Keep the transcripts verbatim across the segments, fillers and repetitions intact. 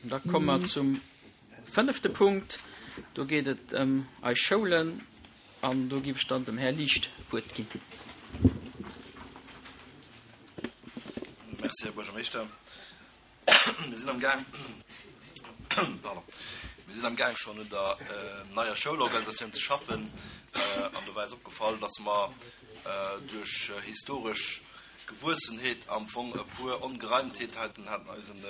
Da komme mer zum fënnefte Punkt. Do geet et ëm eis Schoulen an do géif ech dann dem Här Liesch d'Wuert ginn. Merci, Här Buergermeeschter. Mir sinn am Gaang, pardon, mir sinn am Gaang schonn un der neier Schoulorganisatioun ze schaffen an do war eis opgefall, dass mer duerch historesch Gewuessenheet am Fong e puer Ongereimtheeten haten eisen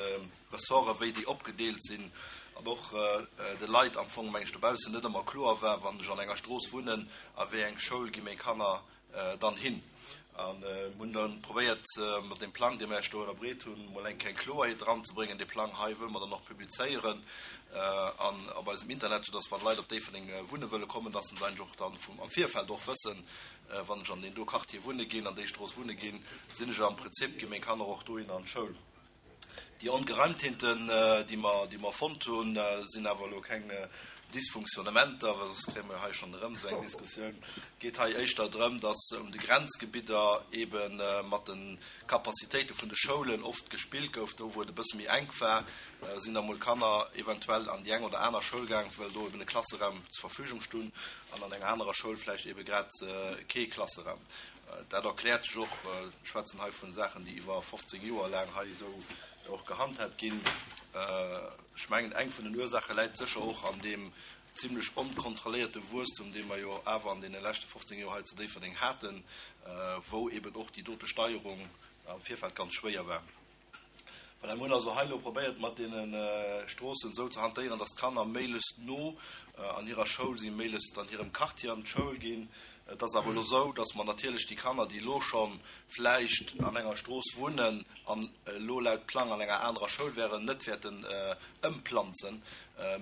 Ressorten, wéi déi opgedeelt sinn an och de Leit am Fong, meng ech, dobaussen net ëmmer kloer war, wann ech an enger Strooss wunnen, a wéi eng Schoul gi meng Kanner dann hin. A mir hunn da probéiert, mat deem Plang, dee mer Iech do ënnerbreet hunn, mol eng kleng Kloerheet eranzebréngen. Dee Plang hei wëlle mer dann och publizéieren an op eisem Internet, soudass wann Leit op Déifferdeng wunne wëlle kommen, dass se eigentlech och dann vum am Virfeld och wëssen, wann ech an deen do Quartier wunne ginn, an déi Strooss wunne ginn, sinn ech am Prinzip, gi meng Kanner och dohinner an d'Schoul. Déi Ongereimtheeten, déi mer, déi mer fonnt hunn, sinn awer elo keng Dysfunktionnementer, well soss kréie mer jo hei schonn erëm esou eng Diskussioun. Et geet hei éischter drëm, dass un de Grenzgebidder eebe mat de Capacitéite vun de Schoulen oft gespillt gouf. Do, wou et e bësse méi enk war, sinn da mol Kanner eventuell an déi eng oder aner Schoul gaang, well do eben e Klasseraum zur Verfügung stunn an an enger anerer Schoul vläicht eebe grad kee Klasseraum. Dat erkläert sech och, ech schwätzen hei vu Saachen, déi iwwer fofzéng Joer laang hei esou och gehandhaabt ginn. Ech mengen, eng vun den Ursaache läit sécher och an deem zimlech onkontrolléierte Wuesstum, dee mer jo awer an deene leschte fofzéng Joer hei zu Déifferdeng haten, wou eben och déi dote Steierung am Virfeld ganz schwéier war. Voilà, mir hunn also hei elo probéiert, mat deene Stroossen esou ze hantéieren, dass d'Kanner méiglechst no an hirer Schoul sinn, méiglechst an hirem Quartier an d'Schoul ginn. Et ass awer elo esou, dass mer natierlech déi Kanner, déi elo scho vläicht an enger Strooss wunnen an elo laut Plang an enger anerer Schoul wären, net wäerten ëmplanzen.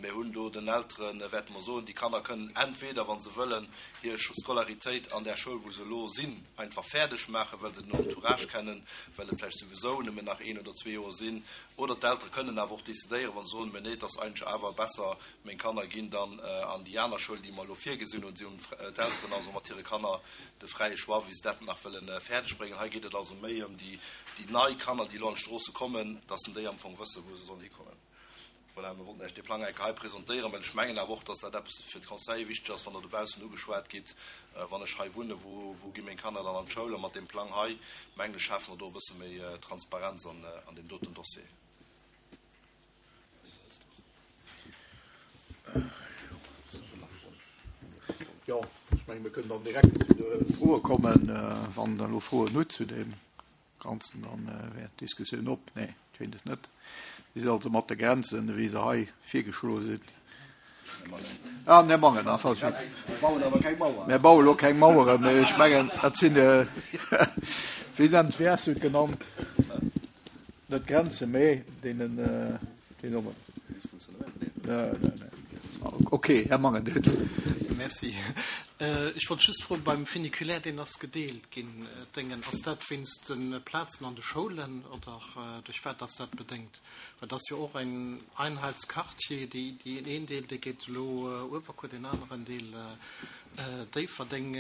Mir hunn do den Eltere wäerte mer soen, déi Kanner kënnen entweder, wa se wëllen, hir Scolaritéit an där Schoul, wou se elo sinn, einfach fäerdeg maachen, well se den Entourage kennen, well et vläicht souwisou nëmmen nach een oder zwee Joer sinn, oder d'Eltere kënnen awer och decidéieren, wa se soen, Mä nee, et ass eigentlech awer besser, meng Kanner ginn dann an déi aner Schoul, déi mer elo virgesinn hunn. Si hunn d'Elteren also mat hire Kanner de fräie Choix, wéi se dat nach wëlle fäerdeg bréngen. Hei geet et also méi ëm déi nei Kanner, déi elo an d'Stroosse kommen, dass déi am Fong wëssen, wou se sollen hikommen. Voilà, mir wollten Iech dee Plang eng Kéier hei presentéieren, well ech mengen awer och, dass dat eppes fir d'Conseiller wichteg ass, wann Der dobaussen ugeschwat gitt, Wann ech hei wunnen, wou, wou gi meng Kanner dann an d'Schoul? A mat deem Plang hei, mengen ech, schafe mer do e bësse méi Transparenz an, an deem doten Dossier. Jo, ech mengen, mir kënnen dann direkt zu de Froe kommen, wann Der elo Froen hutt zu deem Ganzen, dann wär d'Diskussioun op. Nee, schéint es net. Si sinn also mat de Grenzen, wéi se hei virgeschloe sinn. Ah, Här Mangen, ah, falsch. Mir bauen awer keng Mauer. Mir baue lo keng Maueren, mee ech mengen, dat sinn, wéi nennt, wéi has du et genannt? Net Grenzen, mee deenen, deen Nomen. Nee, nee, nee. Okay, Här Mangen, Dir hutt d'Wuert. Merci. Ech wollt just froen, beim Funiculaire, deen ass gedeelt ginn, Déngen, ass dat wéinst de Plazen an de Schoulen oder duerch wat ass dat bedéngt? Well et ass jo och en Einheitsquartier, déi, déi een Deel, dee geet elo Uewerkuer, deen aneren Deel Déifferdeng.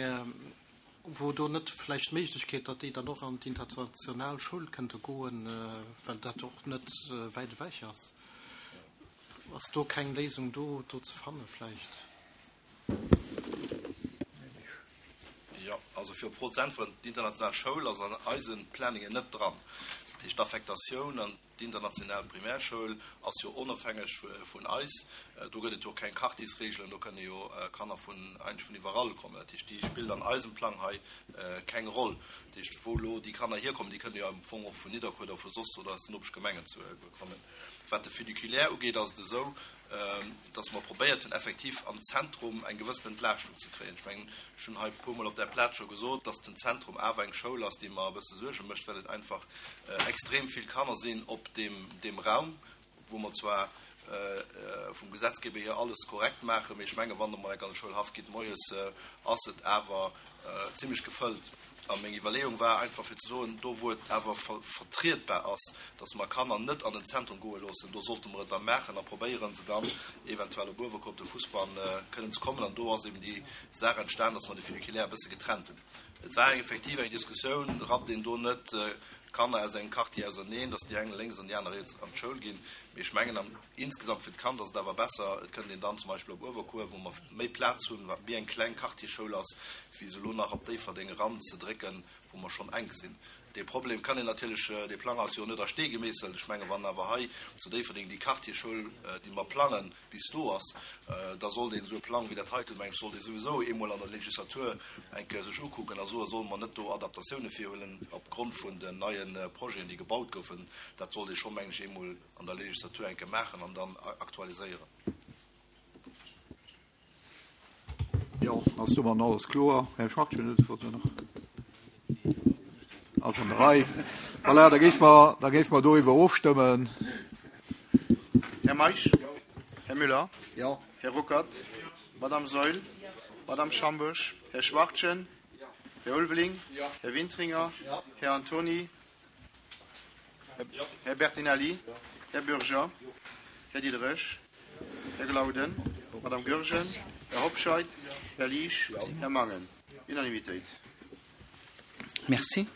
Wor do net vläicht d'Méiglechkeet, datt déi dann och an d'international Schoul kënnte goen, well dat och net wäit ewech ass? Ass do keng Léisung do do ze fanne vläicht? Jo, also fir op d'Fro ze äntweren, D'international Schoul ass an eise Planningen net dran. Dat heescht, d'Affektatioun an d'international Primärschoul ass jo onofhängeg vun eis. Do gëtt et jo och keng Quartiersregelen, do kënne jo Kanner vun eigentlech vun iwwerall kommen. Dat heescht, déi spillt an eisem Plang hei keng Roll. Dat heescht, wou elo déi Kanner hierkommen, déi kënne jo am Fong och vun Nidderkuer oder vu soss oder aus den Nopeschgemengen kommen. Wat de Funiculaire ugeet, ass et esou, dass mer probéiert hunn, effektiv am Zentrum eng gewëssen Entlaaschtung ze kréien. Ech mengen, ech hunn hei e puermol op där Plaz scho gesot, dass den Zentrum awer eng Schoul ass, déi mer e bësse Suerge mécht, well et einfach extrem vill Kanner sinn op deem, deem Raum, wou mer zwar vum Gesetzgeber hier alles korrekt maachen, mee ech mengen, wann Der mol enk an de Schoulhaff gitt moies, ass et awer zimlech gefëllt. A meng Iwwerleeung war einfach fir ze soen, do wou et awer vertrietbar ass, dass mer Kanner net an den Zentrum goe loossen, do sollte mer et da maachen a probéieren, se dann eventuell op Uewerkuer op de Fussbann kënnen ze kommen. An do ass eben déi Saach entstan, dass mer de Funiculaire e bësse getrennt hunn. Et war effektiv eng Diskussioun, rappt een do net Kanner aus engem Quartier auserneen, dass déi eng lénks an déi aner riets an d'Schoul ginn. Mee ech mengen am insgesamt fir d'Kand ass et awer besser, et kënnt een dann zum Beispill op Uewerkuer, wou mer méi Plaz hunn, wat méi eng kleng Quartierschoul ass, wéi se elo nach op Déifferdeng eranzedrécken, wou mer schonn enk sinn. Dee Problem kann een natierlech, dee Plang ass jo net a Stee gemeesselt. Ech mengen, wann awer hei zu Déifferdeng déi Quartierschoul, déi mer plangen, bis do ass, da sollt een esou e Plang wéi dat heiten, meng ech, sollt ee souwisou eemol an der Legislatur eng Kéier sech ukucken a soen, solle mer net do Adaptatioune virhuelen opgrond vun den neie Projeten, déi gebaut goufen. Dat sollt ee scho, meng ech, eemol an der Legislatur eng Kéier maachen an dann aktualiséieren. Jo, ass domat alles kloer? Här Schwachtgen huet d'Wuert nach. Ass an der Rei. Voilà, da géife mer, da géife mer doriwwer ofstëmmen. Här Meisch? Här Müller? Jo. Här Ruckert? Madame Saeul? Madame Schambourg? Här Schwachtgen? Här Ulveling? Här Wintringer? Här Antony? Här Bertinelli? Här Bürger? Här Diderich? Här Glauden? Madame Goergen? Här Hobscheit? Här Liesch? Här Mangen? Unanimitéit. Merci.